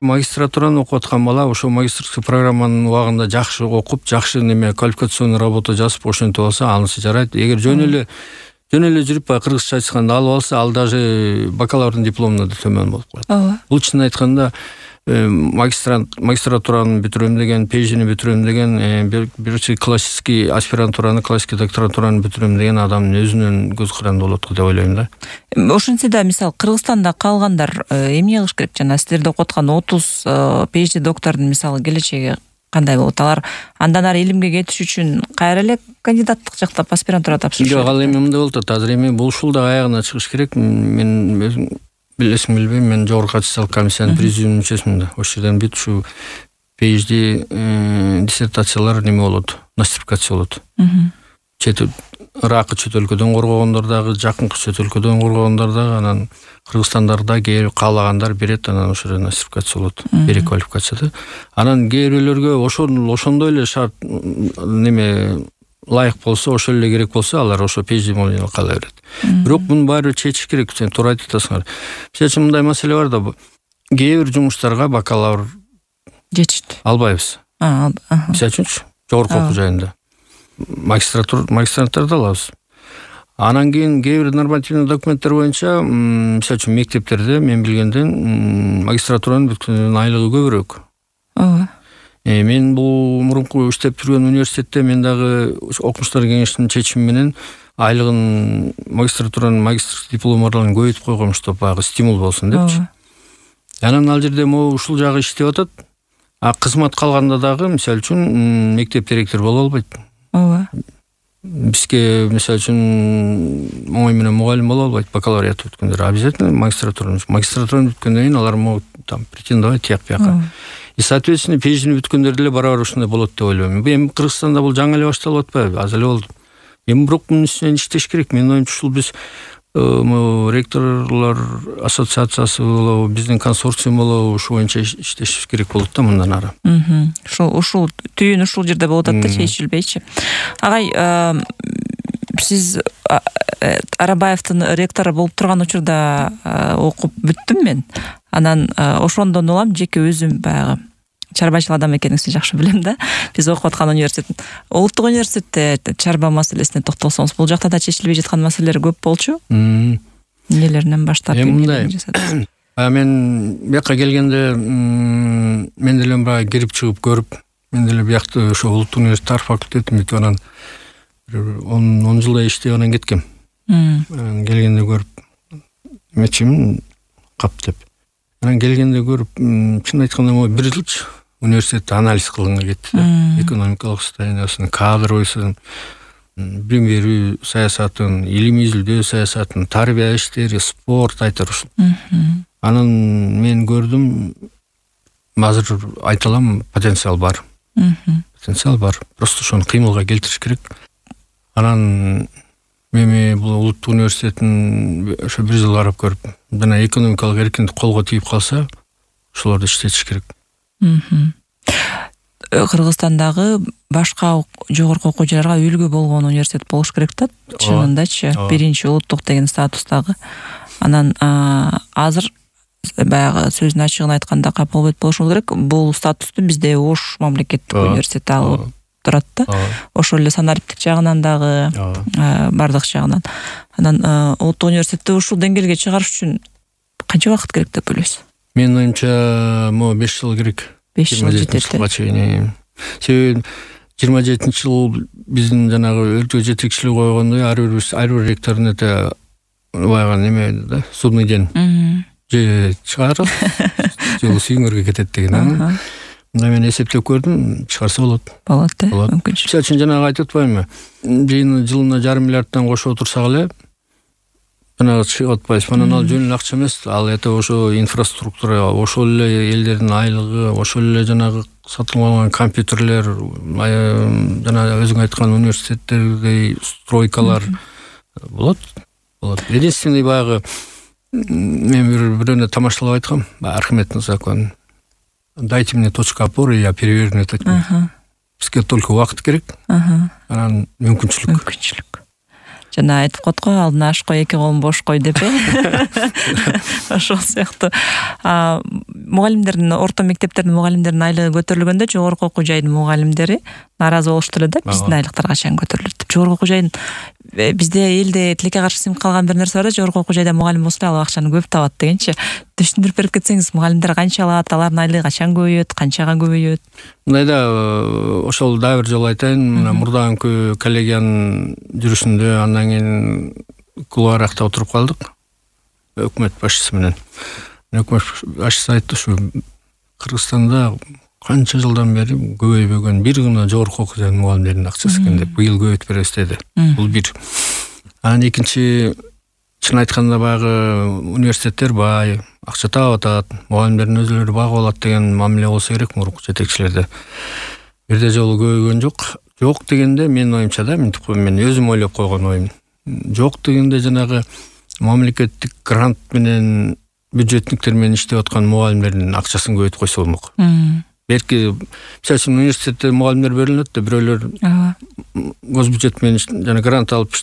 Магистратураны окуп аткан бала ошо магистрский программанын убагында жакшы окуп, жакшы квалификационный работа жазып ошентип алса, анысы жарайт. Эгер жөн эле жүрүп кыргызча айтканда алып алса, ал даже бакалаврдын дипломуна да төмөн болуп калат. Бул чын айтканда магистратураны бүтүрөм деген, PhD'ни бүтүрөм деген, биринчи классический аспирантураны, классический докторантураны бүтүрөм деген адамдын өзүнүн көз каранды болот деп ойлойм да. Ошентсе да, мисалы, Кыргызстанда калгандар эмне кылыш керек? Жана силерде окуп аткан 30 PhD доктордун мисалы келечеги кандай болот? Алар андан ары илимге кетиш үчүн кайра эле кандидаттык жактап аспирантура тапшырыш? Жок, ал эми мындай болуп атат. Азыр эми бул ушулда аягына чыгыш керек. Мен өзүм билесиң билбейм, мен жогорку аттестациялык комиссиянын президиум мүчөсүмүн да. Ошол жерден бүт ушу PhD диссертациялар неме болот, нострификация болот. Ыракы чөт өлкөдөн коргогондор дагы, жакынкы чөт өлкөдөн коргогондор дагы, анан Кыргызстандарда келип каалагандар берет, анан ошол жерден нострификация болот, переквалификацияда. Анан кээ бирөөлөргө ошондой эле шарт неме лайык болсо, ошол эле керек болсо, алар ошо PhD менен кала берет. Бирок муну баары чечиш керек, сен туура айтып атасыңар. Мисалы үчүн мындай маселе бар да, кээ бир жумуштарга бакалавр жетишти албайбыз. Мисалы үчүн жогорку окуу жайында магистранттарды алабыз. Анан кийин кээ бир нормативный документтер боюнча, мисалы үчүн мектептерде мен билгенден магистратуранын бүткөндөрүнүн айлыгы көбүрөөк. Мен бул мурунку иштеп жүргөн университетте мен дагы окумуштар кеңешинин чечими менен айлыгын магистратуранын магистрский дипломдорун көбөйтүп койгом, чтобы баягы стимул болсун депчи. Анан ал жерде могу ушул жагы иштеп атат. Кызмат калганда дагы мисалы үчүн мектеп директору боло албайт. Бизге мисалы үчүн оңой менен мугалим боло албайт, бакалавриат бүткөндөр. Обязательно магистратураны бүткөндөн кийин алар могут там претендовать тияк бияка. И соответственно PhD'ни бүткөндөр деле барабар ушундай болот деп ойлойм. Эми Кыргызстанда бул жаңы эле башталып атпайбы? Аз эле болду. Эми бирок мунун үстүнөн иштеш керек. Менин оюмча ушул биз ректорлор ассоциациясы болобу, биздин консорциум болобу, ушу боюнча иштешибиз керек болот да мындан ары. Ушул түйүн ушул жерде болуп атат да, чечилбейчи. Агай, сиз Арабаевдин ректору болуп турган учурда окуп бүттүм мен. Анан ошондон улам жеке өзүм баягы чарбачыл адам экениңизди жакшы билем да. Биз окуп аткан университет, улуттук университетте чарба маселесине токтолсоңуз, бул жакта да чечилбей жаткан маселелер көп болчу. Эмнелеринен баштап эмне? Мен бияка келгенде мен деле баягы кирип чыгып көрүп, мен деле биякта ошо улуттук университет тарых факультетин бүтүп анан 10 жылдай иштеп анан кеткем. Келгенде көрүп мечим кап деп. Анан келгенде көрүп, чын айтканда могу 1 жылчы университетте анализ кылганга кетти да. Экономикалык состояниясын, кадровыйсын, билим берүү саясатын, илимий изилдөө саясатын, тарбия иштери, спорт айтар ушул. Анан мен көрдүм, азыр айта алам, потенциал бар. Потенциал бар. Просто ошону кыймылга келтириш керек. Анан мен бул улуттук университетин ошо 1 жыл карап көрүп, жана экономикалык эркиндик колго тийип калса, ошолорду иштетиш керек. Кыргызстандагы башка жогорку окуу жайларга үлгү болгон университет болуш керек да, чынындачы. Биринчи улуттук деген статустагы. Анан азыр баягы сөзүн ачыгын айтканда капыл болушу керек. Бул статусту бизде Ош мамлекеттик университети алып турат да. Ошол эле санариптик жагынан дагы, бардык жагынан. Анан улуттук университетти ушул деңгээлге чыгарыш үчүн канча убакыт керек деп ойлойсуз? Менин оюмча, 5 жыл керек. 5 жыл жетет. Себеби 27 жыл биздин жанагы өлкө жетекчилиги койгондой, ар бир ректордун баягы неме да, судный день. Же чыгарып, же сүйүңөргө кетет деген. Мен эсептеп көрдүм, чыгарса болот. Болот да, мүмкүнчүлүк. Мисалы үчүн жанагы айтып атпаймынбы? Жылына 1,5 миллиардтан кошуп отурсак эле, жанагы чыгып атпайбыз. Анан ал жөн эле акча эмес, ал ошо инфраструктура, ошол эле элдердин айлыгы, ошол эле жанагы сатылып алган компьютерлер, жана өзүң айткан университеттердей стройкалар болот. Единственный баягы мен бирөөнө тамашалап айткам, Архимед закон. Дайте мне точку опоры, я переверну этот мир. Бизге только убакыт керек. Анан мүмкүнчүлүк. Жана айтып коет го, алдына аш кой, эки колун бош кой деп. Ошол сыяктуу. мугалимдердин, орто мектептердин мугалимдердин айлыгы көтөрүлгөндө жогорку окуу жайдын мугалимдери нааразы болушту эле да, биздин айлыктар качан көтөрүлөт деп. Жогорку окуу жайдын бизде элде тилекке каршы сиңип калган бир нерсе бар да, жогорку окуу жайда мугалим болсо ал акчаны көп табат дегенчи. Түшүндүрүп берип кетсеңиз, мугалимдер канча алат, алардын айлыгы качан көбөйөт, канчага көбөйөт? Мындайда ошол дагы бир жолу айтайын, мурдагы коллегиянын жүрүшүндө андан кийин кулуаракта отуруп калдык өкмөт башчысы менен. Өкмөт башчысы айтты, ушу Кыргызстанда канча жылдан бери көбөйбөгөн бир гана жогорку окуу жайдын мугалимдеринин акчасы экен деп, быйыл көбөйтүп беребиз деди. Бул бир. Анан экинчи, чын айтканда баягы университеттер бай, акча таап атат, мугалимдердин өзүлөрү багып алат деген мамиле болсо керек мурунку жетекчилерде. Бирде жолу көбөйгөн жок. Жок дегенде менин оюмча да, мен өзүм ойлоп койгон оюм. Жок дегенде жанагы мамлекеттик грант менен бюджетниктер менен иштеп аткан мугалимдердин акчасын көбөйтүп койсо болмок. Берки, мисалы үчүн университетте мугалимдер берилет да, бирөөлөр госбюджет менен жана грант алып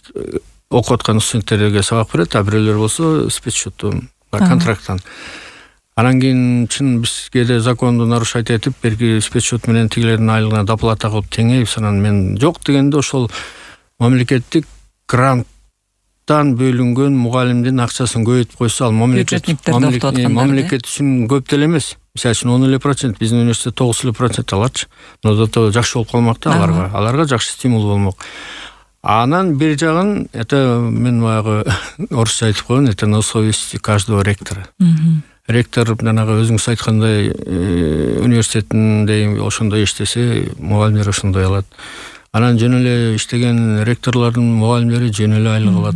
окуп аткан студенттерге сабак берет, а бирөөлөр болсо спецсчеттон, контракттан. Анан кийин чын бизге да законду нарушать этип, берки спецсчет менен тигилердин айлыгына доплата кылып теңейип, анан мен жок дегенде ошол мамлекеттик гранттан бөлүнгөн мугалимдин акчасын көбөйтүп койсо, ал мамлекет үчүн көп деле эмес. Мисалы үчүн 10%, биздин университет 9% аларчы. Но зато жакшы болуп калмак да аларга жакшы стимул болмок. Анан бир жагын, это мен баягы орусча айтып койгон, это на совести каждого ректора. Ректор жанагы өзүңүз айткандай университетинде ошондой иштесе, мугалимдер ошондой алат. Анан жөн эле иштеген ректорлордун мугалимдери жөн эле айлык алат.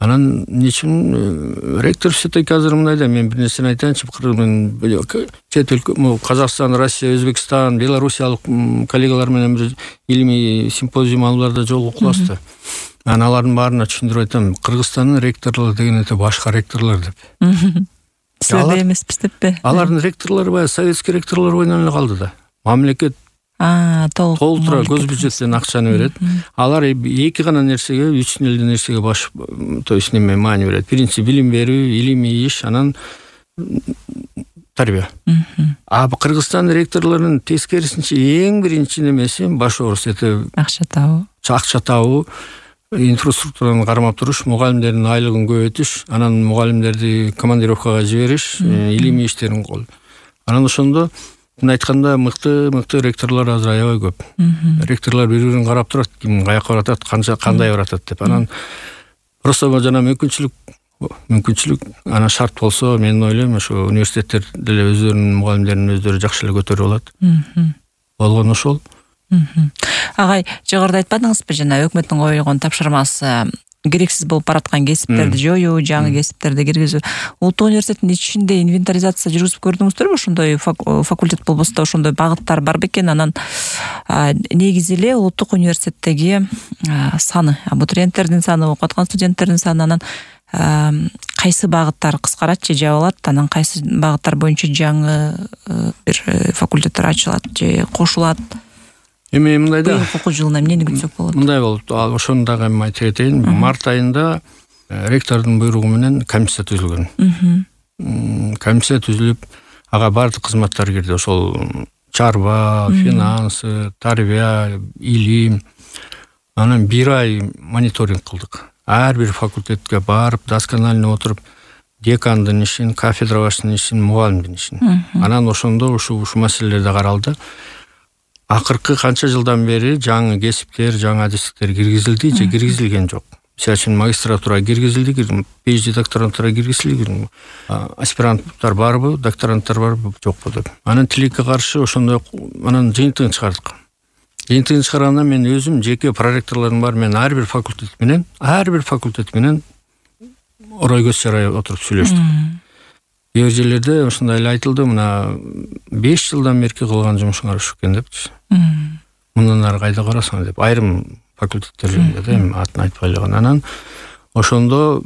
Анан нечим ректор все-таки азыр мындайда, мен бир нерсени айтайынчы, чет өлкө, Казакстан, Россия, Өзбекстан, Белоруссиялык коллегалар менен бир илимий симпозиум алууларда жолугуп калабыз. Анан алардын баарына түшүндүрүп айтам, Кыргызстандын ректорлору деген это башка ректорлор деп. Силерде эмеспиз деппи? Алардын ректорлору баягы советский ректорлор бойдон эле калды да. Мамлекет толтура госбюджеттен акчаны берет. Алар эки гана нерсеге, үч эле нерсеге баш, то есть неме маани берет. Биринчи билим берүү, илимий иш, анан тарбия. А Кыргызстан ректорлорунун тескерисинче эң биринчи немеси баш оорусу это акча табуу, инфраструктураны кармап туруш, мугалимдердин айлыгын көбөйтүш, анан мугалимдерди командировкага жибериш, илимий иштерин кол. Анан ошондо айтканда мыкты ректорлор азыр аябай көп. Ректорлор бири-бирин карап турат, ким каяка баратат, кандай баратат деп. Анан просто жана мүмкүнчүлүк анан шарт болсо, мен ойлойм, ошо университеттер деле өздөрүнүн мугалимдерин өздөрү жакшы эле көтөрүп алат. Болгон ошол. Агай, жогоруда айтпадыңызбы, жана өкмөттүн койгон тапшырмасы керексиз болуп бараткан кесиптерди жоюу, жаңы кесиптерди киргизүү. Улуттук университеттин ичинде инвентаризация жүргүзүп көрдүңүздөрбү? Ошондой факультет болбосо да ошондой багыттар бар бекен? Анан негизи эле улуттук университеттеги саны, абитуриенттердин саны, окуп аткан студенттердин саны, анан кайсы багыттар кыскарат же жабылат, анан кайсы багыттар боюнча жаңы бир факультеттер ачылат же кошулат? Эми мындайда окуу жылына эмнени күтсөк болот? Мындай болот. Ошону дагы эми айтып кетейин. Март айында ректордун буйругу менен комиссия түзүлгөн. Комиссия түзүлүп, ага бардык кызматтар кирди. Ошол чарба, финанс, тарбия, илим. Анан бир ай мониторинг кылдык. Ар бир факультетке барып, досконально отуруп, декандын ишин, кафедра башчысынын ишин, мугалимдин ишин. Анан ошондо ушу маселелер да каралды. Акыркы канча жылдан бери жаңы кесиптер, жаңы адистиктер киргизилди же киргизилген жок. Мисалы үчүн магистратура киргизилди, PhD докторантура киргизилди, аспиранттар барбы, докторанттар барбы, жокпу деп. Анан тилекке каршы ошондой анан жыйынтыгын чыгардык. Жыйынтыгын чыгарганда мен өзүм жеке проректорлорум бар, мен ар бир факультет менен орой көз чарай отуруп сүйлөштүк. Кээ бир жерлерде ошондой эле айтылды, мына 5 жылдан берки кылган жумушуңар ушул экен депчи. Мындан ары кайда карасаң деп. Айрым факультеттерде да, эми атын айтпай эле. Анан ошондо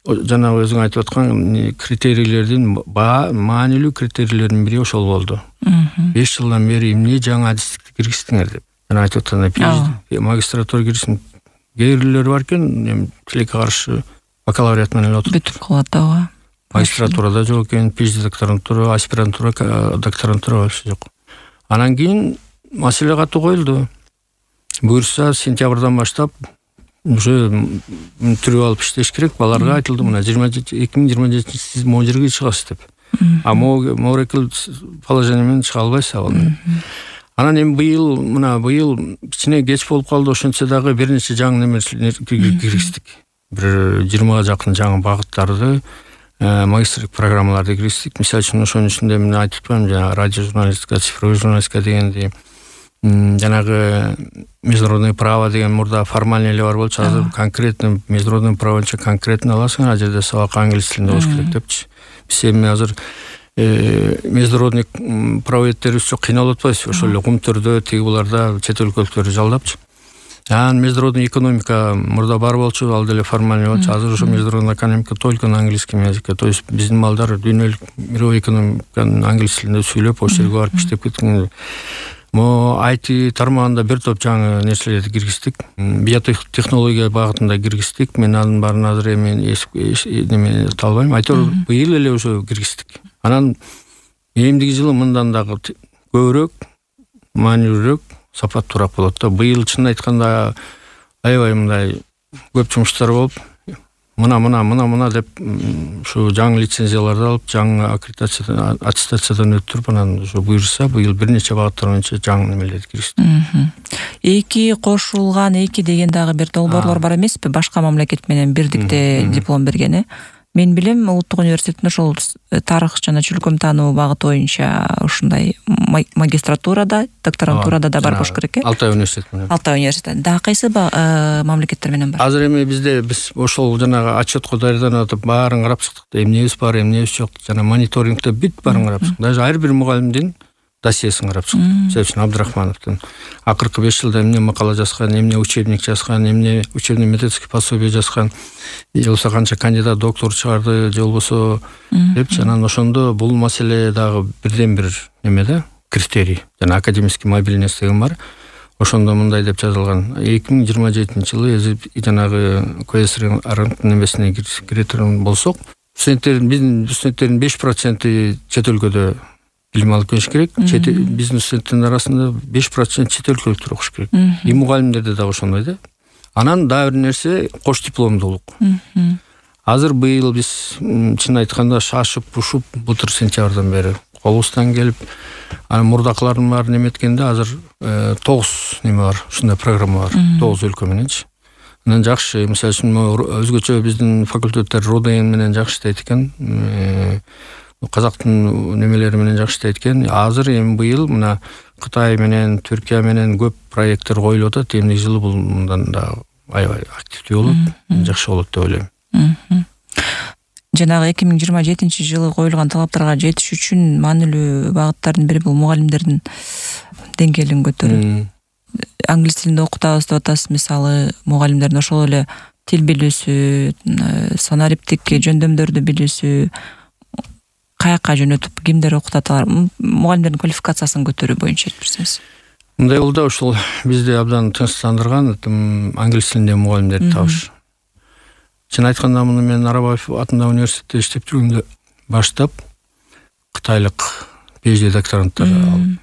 жана өзүң айтып аткан критерийлердин маанилүү критерийлердин бири ошол болду. 5 жылдан бери эмне жаңы адистикти киргиздиңер деп. Жана айтып аткандай PhD, магистратура киргизим. Кээ бирлер бар экен, эми тилекке каршы бакалавриат менен эле отуруп бүтүп калат да. магистратурада жок экен, PhD докторантура, аспирантура, докторантура вообще жок. Анан кийин маселе катуу коюлду. Буюрса сентябрдан баштап уже түрүп алып иштеш керек. Баларга айтылды, мына 2027 сиз могу жерге чыгасыз деп. А могу положение менен чыга албайсыз ал. Анан эми быйыл кичине кеч болуп калды, ошентсе дагы бир нече жаңы немелерди киргиздик. Бир 20га жакын жаңы багыттарды, магистрлик программаларды киргиздик. Мисалы үчүн ошонун ичинде мен айтып атпаймынбы, жана радио журналистика, цифровой журналистика дегенди, жанагы международное право деген мурда формальный эле бар болчу, азыр конкретно международное правонча конкретно аласың, ал жерде сабак англис тилинде болуш керек депчи. Биз эми азыр международный правоведтерибиз жок, кыйналып атпайбыз, ошол эле кумтөрдө тиги буларда чет өлкөлүктөрдү жалдапчы. Анан международный экономика мурда бар болчу, ал деле формальный болчу. Азыр ошо международная экономика только на английском языке. То есть биздин малдар дүйнөлүк мировой экономиканы англис тилинде сүйлөп, ошол жерге барып иштеп кеткен. Мо IT тармагында бир топ жаңы нерселерди киргиздик. Биотехнология багытында киргиздик. Мен анын баарын азыр эми неме талбайм. Айтор быйыл эле ошо киргиздик. Анан эмдиги жылы мындан дагы көбүрөөк, маанилүүрөөк, сапаттуураак болот да. Быйыл чын айтканда аябай мындай көп жумуштар болуп, мына деп ушу жаңы лицензияларды алып, жаңы аттестациядан өттүрүп, анан ушу буюрса быйыл бир нече багыттар боюнча жаңы немелерди киргиздик. Эки кошулган, эки деген дагы бир долбоорлор бар эмеспи? Башка мамлекет менен бирдикте диплом бергени. Мен билем, Улуттук университеттин ошол тарых жана чүлкөм таануу багыты боюнча ушундай магистратурада, докторантурада да бар болуш керек э? Алтай университет менен. Алтай университет. Дагы кайсы мамлекеттер менен бар? Азыр эми биз ошол жанагы отчетко даярданып атып баарын карап чыктык да, эмнебиз бар, эмнебиз жок, жана мониторингде бүт баарын карап чыктык. Даже ар бир мугалимдин досьесин карап чыктык. Мисалы үчүн Абдрахмановдун акыркы 5 жылда эмне макала жазган, эмне учебник жазган, эмне учебный методический пособие жазган, же болбосо канча кандидат доктор чыгарды, же болбосо депчи. Анан ошондо бул маселе дагы бирден бир неме да, критерий. Жана академический мобильность деген бар. Ошондо мындай деп жазылган: 2027 жылы жанагы КСР немесине киретін болсок, биздин студенттердин 5% чет өлкөдө билим алып келиш керек. Биздин студенттин арасында 5% чет өлкөлүктөр окуш керек. И мугалимдерде дагы ошондой да. Анан дагы бир нерсе кош дипломдуулук. Азыр быйыл биз чын айтканда шашып-пушуп былтыр сентябрдан бери колубуздан келип, анан мурдакылардын баарын эметкенде азыр 9 неме бар, ушундай программа бар, 9 өлкө мененчи. Анан жакшы, мисалы үчүн өзгөчө биздин факультеттер РОДН менен жакшы иштейт экен, казактын немелери менен жакшы иштейт экен. Азыр эми быйыл мына Кытай менен, Түркия менен көп проекттер коюлуп атат. Эмдиги жылы бул мындан да аябай активдүү болот, жакшы болот деп ойлойм. Жанагы 2027 жылы коюлган талаптарга жетиш үчүн маанилүү багыттардын бири бул мугалимдердин деңгээлин көтөрүү. Англис тилинде окутабыз деп атасыз, мисалы, мугалимдердин ошол эле тил билүүсү, санариптик жөндөмдөрдү билүүсү, каяка жөнөтүп, кимдер окутат алар, мугалимдердин квалификациясын көтөрүү боюнча айтып берсеңиз. Мындай болду, ошол бизди абдан тынчтандырган англис тилинде мугалимдерди табыш. Чын айтканда, муну мен Арабаев атындагы университетте иштеп жүргөндө баштап кытайлык PhD докторанттар алып,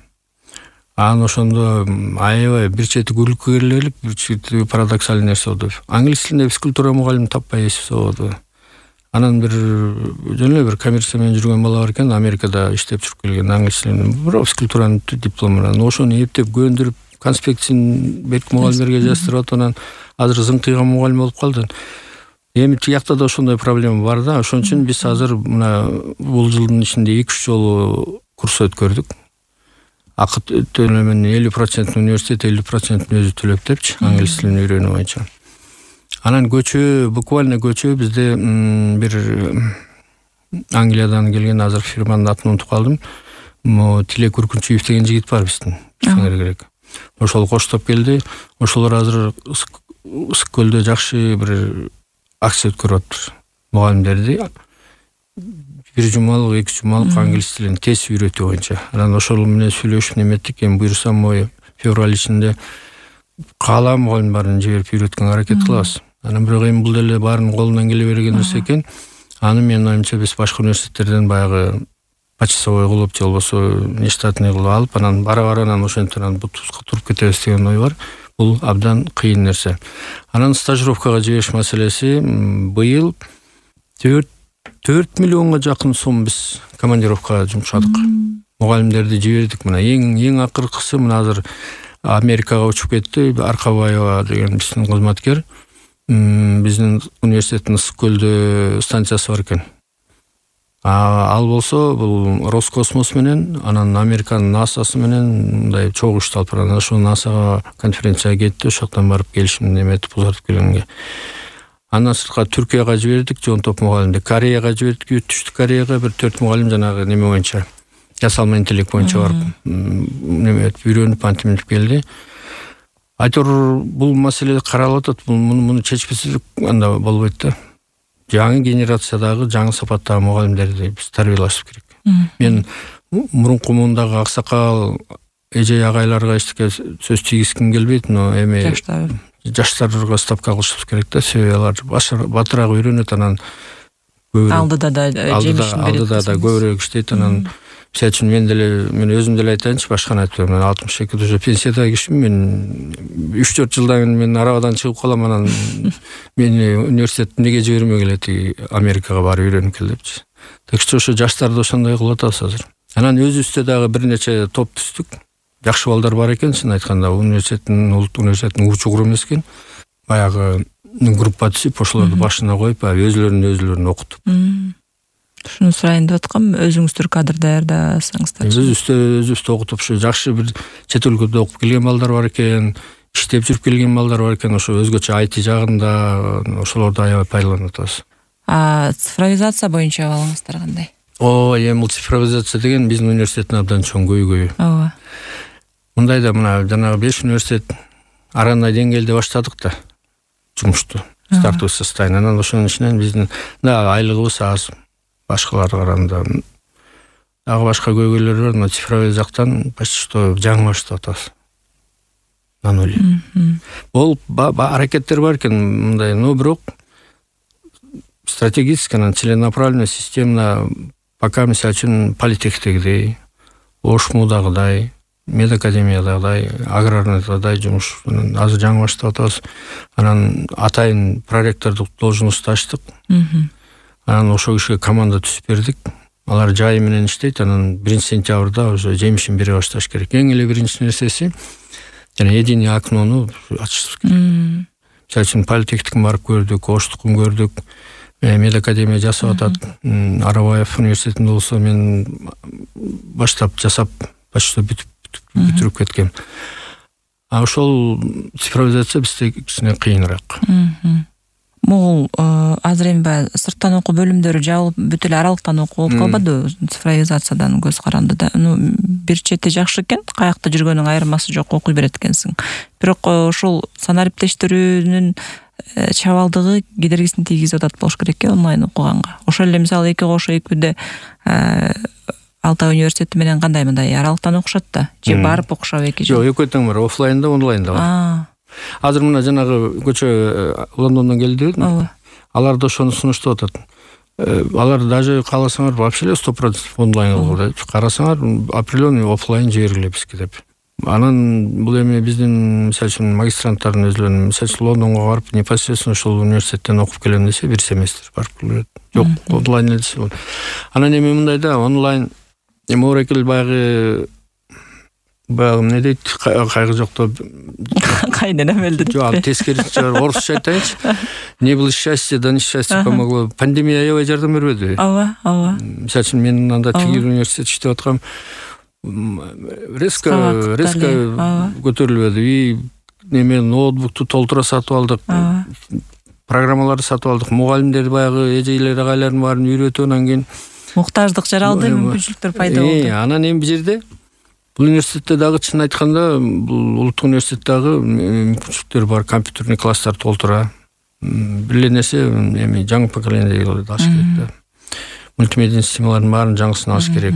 анан ошондо аябай бир чети күлкүлүк, бир чети парадоксалдуу нерсе болду. Англис тилинде физкультура мугалим таппай эсип болду. Анан бир жөн эле бир коммерция менен жүргөн бала бар экен, Америкада иштеп жүрүп келген, англис тилинде бирок физкультуранын диплому менен ошону эптеп көндүрүп, конспектин берип мугалимдерге жаздырып атып, анан азыр зыңкыйган мугалим болуп калды. Эми тиякта да ошондой проблема бар да. Ошон үчүн биз азыр мына бул жылдын ичинде 2-3 жолу курс өткөрдүк. Акы төлөмүн 50% университет, 50% өзү төлөп депчи, англис тилин үйрөнүү боюнча. Анан буквально көчө бизде бир Англиядан келген, азыр фирманын атын унутуп калдым. Тилек Үркүнчүев деген жигит бар биздин. Керек. Ошол коштоп келди. Ошолор азыр Ысык көлдө жакшы бир акция өткөрүп атат. Мугалимдерди 1 жумалык, 2 жумалык англис тилин тез үйрөтүү боюнча. Анан ошол менен сүйлөшүп неметтик. Эми буюрса февраль ичинде каалаа мугалим баарын жиберип үйрөткөнгө аракет кылабыз. Анан бирок эми бул деле баарын колунан келе берген нерсе экен. Аны менин оюмча биз башка университеттерден баягы почасовой кылып же болбосо нештатный кылып алып, анан бара анан ошентип анан бутубузга туруп кетебиз деген ой бар. Бул абдан кыйын нерсе. Анан стажировкага жибериш маселеси быйыл 4 миллионго жакын сом биз командировкага жумшадык. Мугалимдерди жибердик. Мына эң акыркысы мына азыр Америкага учуп кетти. Аркабаева деген биздин кызматкер. Биздин университеттин Ысык көлдө станциясы бар экен. Ал болсо бул Роскосмос менен, анан Американын НАСАсы менен мындай чогуу иштеп барган. Ошол НАСАга конференцияга кетти, ошоктон барып келишим неметип узартып келгенге. Андан сырткары Түркияга жибердик, жон топ мугалимди. Кореяга жибердик, Түштүк Кореяга бир 4 мугалим жанагы неме боюнча, жасалма интеллект боюнча барып неметип үйрөнүп антиминтип келди. Айтор бул маселе каралып атат. Муну чечпесек анда болбойт да. Жаңы генерациядагы жаңы сапаттагы мугалимдерди биз тарбиялашып керек. Мен мурунку мундагы аксакал эже агайларга эчтеке сөз тийгизгим келбейт, но эми жаштарга ставка кылышыбыз керек да. Себеби алар батыраак үйрөнөт, анан алдыда да көбүрөөк иштейт. Анан мисалы үчүн мен өзүм деле айтайынчы, башканы айтпайм. Мен 62 уже пенсияда кишим. Мен 3-4 жылдан кийин мен арабадан чыгып калам, анан мени университет неге жибермей келет, Америкага барып үйрөнүп кел депчи. Так что ошо жаштарды ошондой кылып атабыз азыр. Анан өзүбүздө дагы бир нече топ түздүк. Жакшы балдар бар экен, чын айтканда. Улуттук университеттин учугуру эмес экен. Баягы группа түзүп, ошолорду башына коюп, өзүлөрүн окутуп. Шуну сурайын деп аткам, өзүңүздөр кадр даярдасаңыздар. Өзүбүздү окутуп, ушу жакшы бир чет өлкөдө окуп келген балдар бар экен, иштеп жүрүп келген балдар бар экен, ошо өзгөчө IT жагында, ошолорду аябай пайдаланып атабыз. Цифровизация боюнча абалыңыздар кандай? Эми бул цифровизация деген биздин университеттин абдан чоң көйгөйү. Ооба. Мындай да мына жанагы 5 университет арандай деңгээлде баштадык да жумушту. Стартовый состояние. Анан ошонун ичинен биздин айлыгыбыз аз. Башкаларга караганда дагы башка көйгөйлөр бар, но цифровой жактан почти что жаңы баштап атабыз. На нуле. Бул аракеттер бар экен мындай, но бирок стратегически, целенаправленно, системно пока мисалы үчүн политехтегидей, ОШМУдагыдай, медакадемиядагыдай, аграрныйдагыдай жумуш азыр жаңы баштап атабыз. Анан атайын проректордук должносту ачтык. Анан ошол кишиге команда түзүп бердик. Алар жайы менен иштейт. Анан 1-сентябрда уже жемишин бере башташ керек. Эң эле биринчи нерсеси жана единый окнону ачышыбыз керек. Мисалы үчүн политехникин барып көрдүк, Оштукун көрдүк, медакадемия жасап атат. Арабаев университетинде болсо мен баштап жасап почти бүтүрүп кеткем. Ошол цифровизация бизде кичине кыйыныраак. Могул азыр эми баягы сырттан окуу бөлүмдөрү жабылып, бүт эле аралыктан окуу болуп калбады цифровизациядан көз каранды да. Бир чети жакшы экен, каякта жүргөнүң айырмасы жок, окуй берет экенсиң. Бирок ошол санариптештирүүнүн чабалдыгы кедергисин тийгизип атат болуш керек онлайн окуганга. Ошол эле мисалы 2 кошо 2-де Алтай университети менен кандай мындай аралыктан окушат да, же барып окушабы 2 жыл? Жок, экөө тең бар, офлайнда, онлайнда бар. Азыр мына жанагы көчө Лондондон келди. Алар да ошону сунуштап атат. Алар даже кааласаңар вообще 100% онлайн кылгыла. Карасаңар определенный офлайн жибергиле бизге деп. Анан бул эми биздин мисалы үчүн магистранттардын өзлөрүнүн мисалы үчүн Лондонго барып непосредственно ошол университеттен окуп келем десе 1 семестр барып келет. Жок, онлайн десе. Анан эми мындай да онлайн эми орекел баягы эмне дейт, кайгы жокто кайнен эмелди. Жок, тескерисинче орусча айтайынчы. Не было счастья, да несчастье помогло. Пандемия аябай жардам бербеди. Ооба. Мисалы үчүн мен анда тигил университет иштеп аткам. Резко көтөрүлбөдү. И неме ноутбукту толтура сатып алдык. Программаларды сатып алдык. Мугалимдер баягы эжейлер агайлардын баарын үйрөтүп, анан кийин муктаждык жаралды, мүмкүнчүлүктөр пайда болду. Анан эми бул жерде бул университетте дагы чын айтканда бул улуттук университеттагы мүмкүнчүлүктөр бар, компьютерный класстар толтура. Бир эле нерсе эми жаңы поколение алыш керек да. Мультимедиа системалардын баарын жаңысын алыш керек.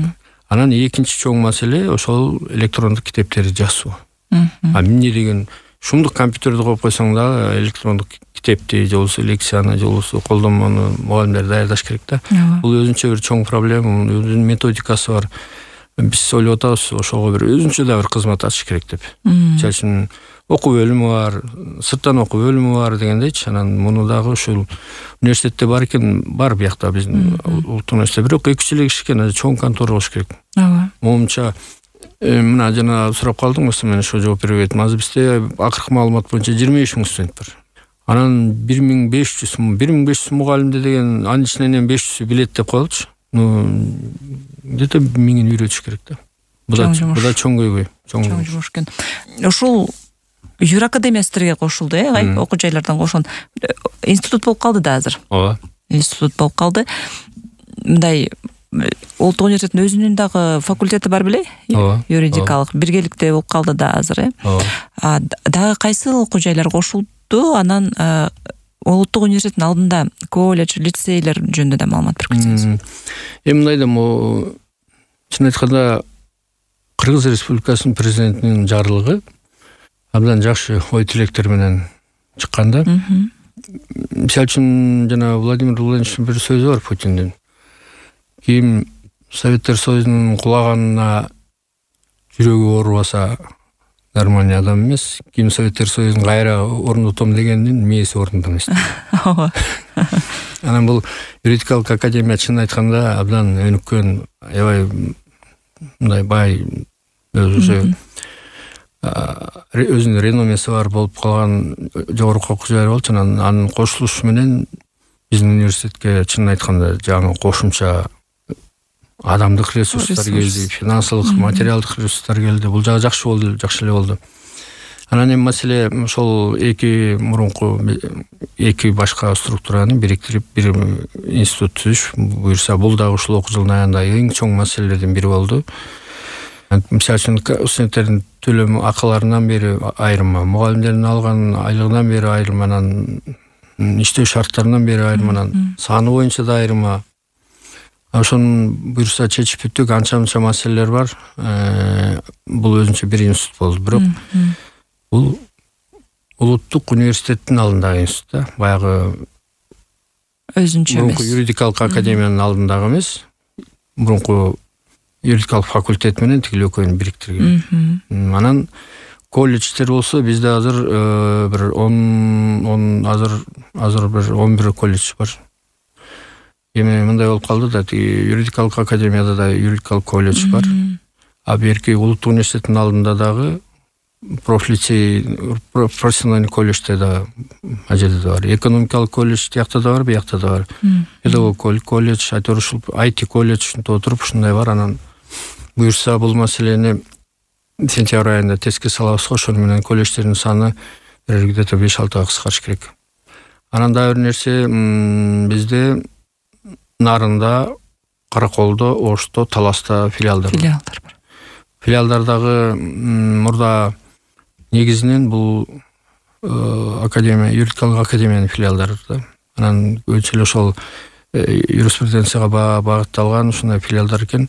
Анан экинчи чоң маселе ошол электрондук китептерди жазуу. Эмне деген шумдук компьютерди коюп койсоң да электрондук китепти же болбосо лекцияны же болбосо колдонмону мугалимдер даярдаш керек да. Бул өзүнчө бир чоң проблема, өзүнүн методикасы бар. Биз ойлоп атабыз ошого бир өзүнчө да бир кызмат ачыш керек деп. Мисалы үчүн окуу бөлүмү бар, сырттан окуу бөлүмү бар дегендейчи. Анан муну дагы ушул университетте бар экен, бар биякта биздин улуттук университетте. Бирок 2-3 эле киши экен, чоң контора болуш керек. Ооба. Момунча мына жана сурап калдым, мен ошо жооп бербей кеттим. Азыр бизде акыркы маалымат боюнча 25 000 студент бар. Анан 1500 мугалимде деген анын ичинен эми 500 билет деп коелучу. Где-то 1000 үйрөтүш керек да. Буда чоң көйгөй. Чоң жумуш экен. Ушул Юр академия силерге кошулду, окуу жайлардан кошон. Институт болуп калды да азыр. Ооба. Институт болуп калды. Мындай Улуттук университеттин өзүнүн дагы факультети бар беле? Юридикалык биргеликте болуп калды да азыр, Дагы кайсы окуу жайлар кошулду? Анан Улуттук университеттин алдында колледж, лицейлер жөнүндө да маалымат берип кетсеңиз. Мындай да чын айтканда Кыргыз Республикасынын президентинин жарлыгы абдан жакшы ой тилектер менен чыкканда. Мисалы үчүн жана Владимир Владимировичтин бир сөзү бар Путиндин. Ким Советтер Союзунун кулаганына жүрөгү оорубаса нормальный адам эмес. Ким Советтер Союзун кайра орнотом дегендин мээси орнунда эмес. Ооба. Анан бул юридикалык академия чын айтканда абдан өнүккөн, аябай мындай бай өзүнүн реномеси бар болуп калган жогорку окуу жай болчу. Анын кошулушу менен биздин университетке чын айтканда жаңы кошумча адамдык ресурстар келди, финансылык, материалдык ресурстар келди. Бул жагы жакшы болду, жакшы эле болду. Анан эми маселе ошол эки башка структураны бириктирип бир институт түзүш буюрса, бул дагы ушул окуу жылдын аягында эң чоң маселелердин бири болду. Мисалы үчүн студенттердин төлөм акыларынан бери айрым, мугалимдердин алган айлыгынан бери айрым, анан иштөө шарттарынан бери айрым, анан саны боюнча да айрым. Ошону буюрса чечип бүттүк, анча-мынча маселелер бар. Бул өзүнчө бир институт болду. Бирок бул улуттук университеттин алдындагы институт да, баягы өзүнчө эмес. Юридикалык академиянын алдындагы эмес. Мурунку юридикалык факультет менен тигил экөөнү бириктирген. Анан колледждер болсо бизде азыр бир 11 колледж бар. Эми мындай болуп калды да, юридикалык академияда да юридикалык колледж бар. А берки улуттук университеттин алдында дагы профессиональный колледжде да ажеде да бар. Экономикалык колледж тиякта да бар, биякта да бар. Педагог колледж, айтор ушул IT колледж ушинтип отуруп ушундай бар. Анан буюрса бул маселени сентябрь айында теске салабыз, ошону менен колледждердин саны где-то 5-6 кыскарыш керек. Анан дагы бир нерсе, бизде Нарында, Караколдо, Ошто, Таласта филиалдар бар. Филиалдардагы мурда негизинен бул академия, юридикалык академиянын филиалдары да. Анан көбүнчө эле ошол юриспруденцияга багытталган ушундай филиалдар экен.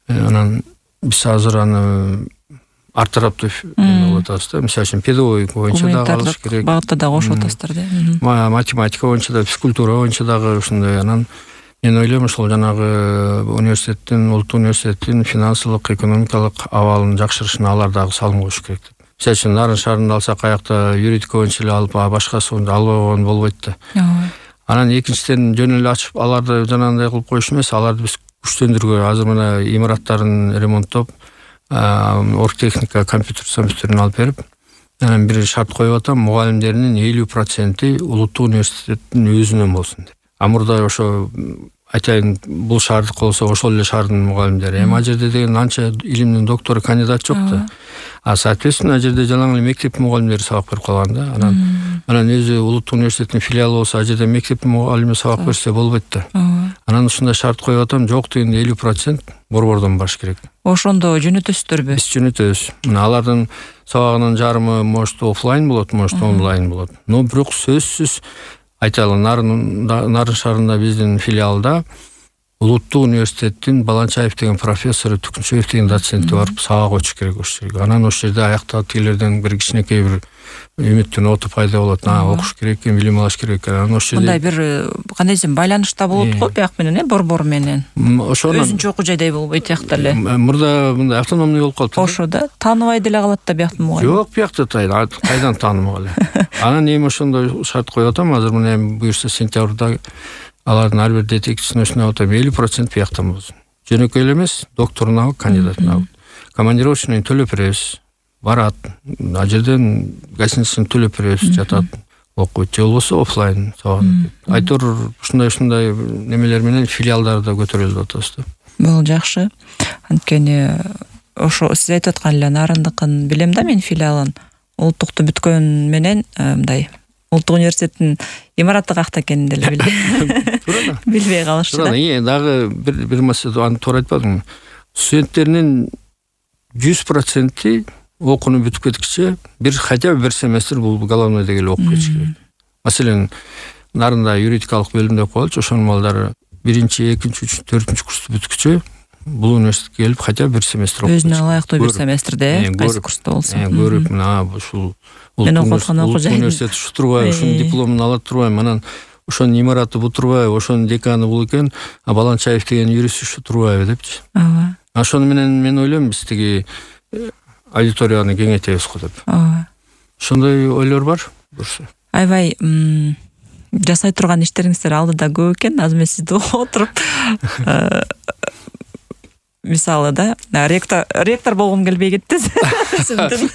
Анан биз азыр аны артараптуу болуп атабыз да. Мисалы үчүн педагогика боюнча дагы алыш керек. Багытта дагы кошуп атасыздар да. Математика боюнча да, физкультура боюнча дагы ушундай. Анан мен ойлойм, ошол жанагы университеттин, улуттук университеттин финансылык, экономикалык абалын жакшырышына алар дагы салым коюш керек. Мисалы үчүн Нарын шаарында алсак, аякта юридика боюнча эле алып, башкасы албай койгон болбойт да. Анан экинчиден жөн эле ачып аларды жанагындай кылып коюш эмес, аларды биз күчтөндүргө, азыр мына имараттарын ремонттоп, оргтехника, компьютерин алып берип, анан бир шарт коюп атам, мугалимдеринин 50% улуттук университеттин өзүнөн болсун деп. Мурда ошо айтайын, бул шаардык болсо ошол эле шаардын мугалимдери. Эми ал жерде деген анча илимдин доктору, кандидат жок да. Соответственно, ал жерде жалаң эле мектеп мугалимдери сабак берип калган да. Анан өзү улуттук университеттин филиалы болсо, ал жерде мектеп мугалими сабак берсе болбойт да. Анан ушундай шарт коюп атам, жок дегенде 50% борбордон баш керек. Ошондо жөнөтөсүздөрбү? Биз жөнөтөбүз. Мына алардын сабагынын жарымы может офлайн болот, может онлайн болот. Но бирок сөзсүз айталы, Нарын шаарында биздин филиалда улуттук университеттин Баланчаев деген профессору, Түкүнчөев деген доценти барып сабак өтүш керек ошол жерге. Анан ошол жерде аяктагы тигилерден бир кичинекей бир үмүттүн оту пайда болот. Окуш керек экен, билим алыш керек экен. Анан ошол жерде мындай бир кандай десем байланышта болот го бияк менен, борбор менен. Ошонун өзүнчө окуу жайдай болбойт тиякта эле. Мурда мындай автономный болуп калып. Ошо да тааныбай деле калат да бияктын мугайым. Жок, биякта кайдан таанымак эле. Анан эми ошондой шарт коюп атам. Азыр мына эми буюрса сентябрда алардын ар бир детективчисин өчүнүп атам, 50% бияктан болсун. Жөнөкөй эле эмес, докторуна алып, кандидатына алып. Командировочный төлөп беребиз. Барат. Ал жерден гостиницасын төлөп беребиз, жатат, окуйт. Же болбосо офлайн сабагын. Айтор ушундай немелер менен филиалдарды көтөрөлүп атабыз да. Бул жакшы. Анткени ошо сиз айтып аткан эле Нарындыкын билем да мен филиалын. Улуттукту бүткөн менен мындай Улуттук университеттин имараты какта экенин деле билбей. Билбей калышты да. Дагы бир маселе аны туура айтпадыңбы? Студенттеринин 100% окууну бүтүп кеткиче хотя бы бир семестр бул головнойдо келип окуп кетиш керек. Маселен, Нарында юридикалык бөлүмдө окуп алчу, ошонун балдары 1-2, 3, 4 курсту бүткүчө бул университетке келип хотя бы бир семестр окуп. Өзүнө ылайыктуу бир семестрде кайсы курста болсо. Көрүп, мына ушул мен окуп аткан окуу жай. Университет ушу турбайбы, ушунун дипломун ала турбайбы, анан ошонун имараты бул турбайбы, ошонун деканы бул экен, а Баланчаев деген юрист ушу турбайбы депчи. Ооба. Ошону менен мен ойлойм, биз тиги аудиторияны кеңейтебиз го деп. Ооба. Ошондой ойлор бар. Бурса. Аябай жасай турган иштериңиздер алдыда көп экен. Азыр мен сизди отуруп мисалы да ректор болгум келбей кетти. Сиздин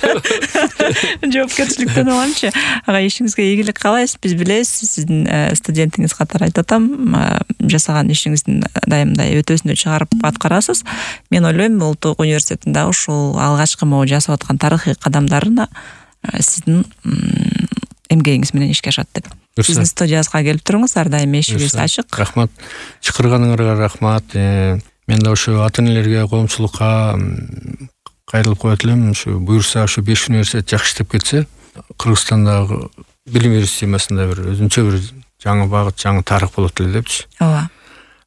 жоопкерчиликтен аламчы. Ага ишиңизге ийгилик каалайбыз. Биз билебиз, сиздин студентиңиз катары айтып атам, жасаган ишиңиздин дайымдай өтөсүндө чыгарып аткарасыз. Мен ойлойм, Улуттук университеттин дагы ушул алгачкы могу жасап аткан тарыхый кадамдарына сиздин эмгегиңиз менен ишке ашат деп. Биздин студиябызга келип туруңуз, ар дайым эшигибиз ачык. Рахмат. Чакырганыңарга рахмат. Мен да ошо ата-энелерге, коомчулукка кайрылып коет элем. Ушу буюрса ушу 5 университет жакшы иштеп кетсе, Кыргызстандагы билим берүү системасында бир өзүнчө бир жаңы багыт, жаңы тарых болот эле депчи. Ооба.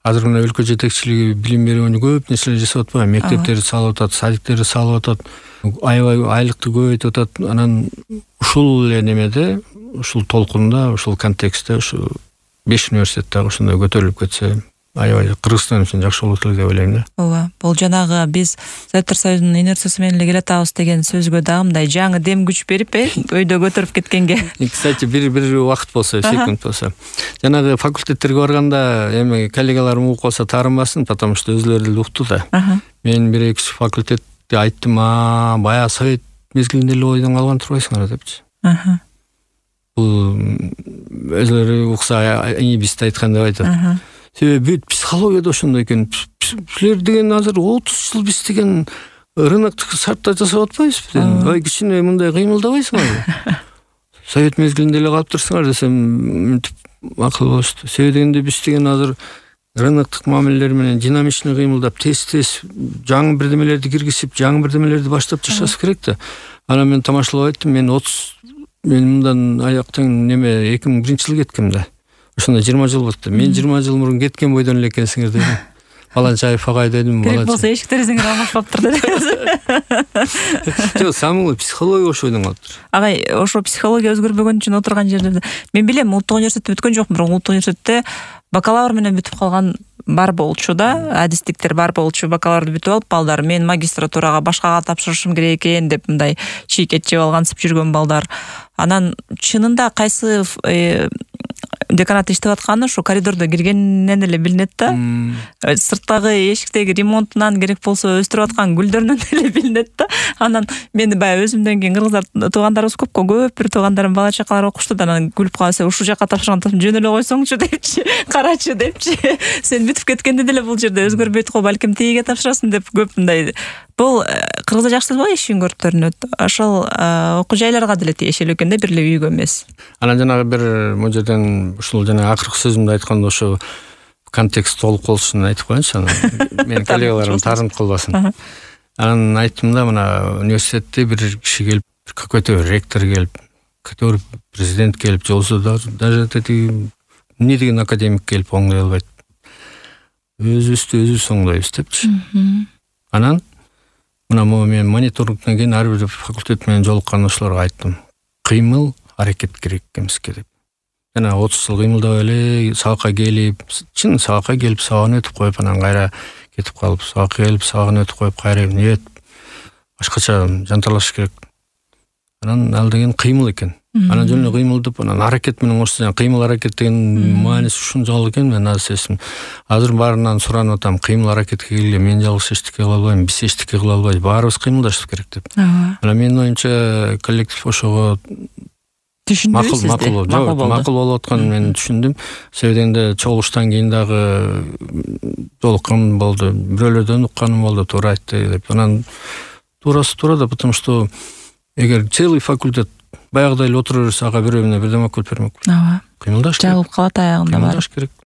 Азыр мына өлкө жетекчилиги билим берүүнү көп нерселер жасап атпайбы? Мектептерди салып атат, садиктерди салып атат, аябай айлыкты көбөйтүп атат. Анан ушул эле немеде, ушул толкунда, ушул контекстте ушу 5 университет дагы ушундай көтөрүлүп кетсе, аябай Кыргызстан үчүн жакшы болот эле деп ойлойм да. Ооба. Бул жанагы биз Советтер Союзунун инерциясы менен эле келатабыз деген сөзгө дагы мындай жаңы дем күч берип, өйдө көтөрүп кеткенге. Кстати, бир убакыт болсо, секунд болсо. Жанагы факультеттерге барганда эми коллегаларым угуп калса таарынбасын, потому что өзүлөрү деле укту да. Мен 1-2 факультетти айттым, баягы совет мезгилинде эле ойдон калган турбайсыңар депчи. Бул өзүлөрү укса биз да айткан деп айтат. Себеби психологияда ошондой экен. Силер деген азыр 30 жыл биз деген рыноктук шартта жасап атпайбызбы? Ай кичине мындай кыймылдабайсыңарбы? Совет мезгилинде эле калып турсуңар десем, акыл болушту. Себеби дегенде биз деген азыр рыноктук мамилелер менен динамичный кыймылдап, тез жаңы бирдемелерди киргизип, жаңы бирдемелерди баштап жашаш керек да. Анан мен тамашалап айттым, мен мындан аяктан 2001-жылы кеткем да. Ошондо 20 жыл болду. Мен 20 жыл мурун кеткен бойдон эле экенсиңер дедим. Баланчаев агай дедим. Керек болсо эшиктериңер алмашпаптыр дедим. Жок, самый психология ошо ойдон калыптыр. Агай, ошо психология өзгөрбөгөн үчүн отурган жерде мен билем, Улуттук университетте бүткөн жокмун, бирок Улуттук университетте бакалавр менен бүтүп калган бар болчу да, адистиктер бар болчу, бакалаврды бүтүп алып балдар, мен магистратурага башкага тапшырышым керек экен деп мындай чийкет жеп алгансып жүргөн балдар. Анан чынында кайсы деканат иштеп атканы ушу коридордо киргеннен эле билинет да. Сырттагы эшиктеги ремонтунан керек болсо өстүрүп аткан гүлдөрүнөн эле билинет да. Анан мен баягы өзүмдөн кийин кыргыздар туугандарыбыз көп бир туугандарым бала чакалар окушту да, анан күлүп калса, ушул жака тапшырган жөн эле койсоңчу депчи, карачы депчи. Сен бүтүп кеткенде деле бул жерде өзгөрбөйт го, балким тегиге тапшырасың деп көп мындай. Бул Кыргызда жакшы эле иш көрүнөт. Ошол окуу жайларга деле тиешелүү экен да, бир эле үйгө эмес. Анан жанагы бир могу жерден ушул жана акыркы сөзүмдү айтканда ошо контекст толук болушун айтып коеюнчу. Анан менин коллегаларым таарынып калбасын. Анан айттым да, мына университетте бир киши келип, какой-то ректор келип, который президент келип, же болбосо даже эмне деген академик келип оңдой албайт. өзүбүздү өзүбүз оңдойбуз депчи. Анан мына мен мониторингден кийин ар бир факультет менен жолуккан айттым. Кыймыл, аракет керек экенбизге деп. Жана 30 жыл кыймылдап эле сабакка келип, сабакка келип сабагын өтүп коюп, анан кайра кетип калып, сабакка келип сабагын өтүп коюп, кайра нет башкача жанталаш керек. Анан ал деген кыймыл экен. Анан жөн эле кыймыл деп, анан аракет менен кошсо, кыймыл аракет деген мааниси ушунчалык экен. Мен азыр баарынан суранып атам, кыймыл аракетке келгиле, мен жалгыз эчтеке кыла албайм, биз эчтеке кыла албайбыз, баарыбыз кыймылдашыбыз керек деп. Анан менин оюмча коллектив ошого түшүндүбүз сизди. Макул болуп атканын мен түшүндүм. Себеби дегенде чогулуштан кийин дагы жолуккан болду, бирөөлөрдөн укканым болду, туура айтты деп. Анан туурасы туура да, потому что эгер целый факультет баягыдай эле отура берсе, ага бирөө эмне бирдеме окуп бермек. Ооба. Кыймылдаш керек. Жабылып калат аягында бар. Кыймылдаш керек.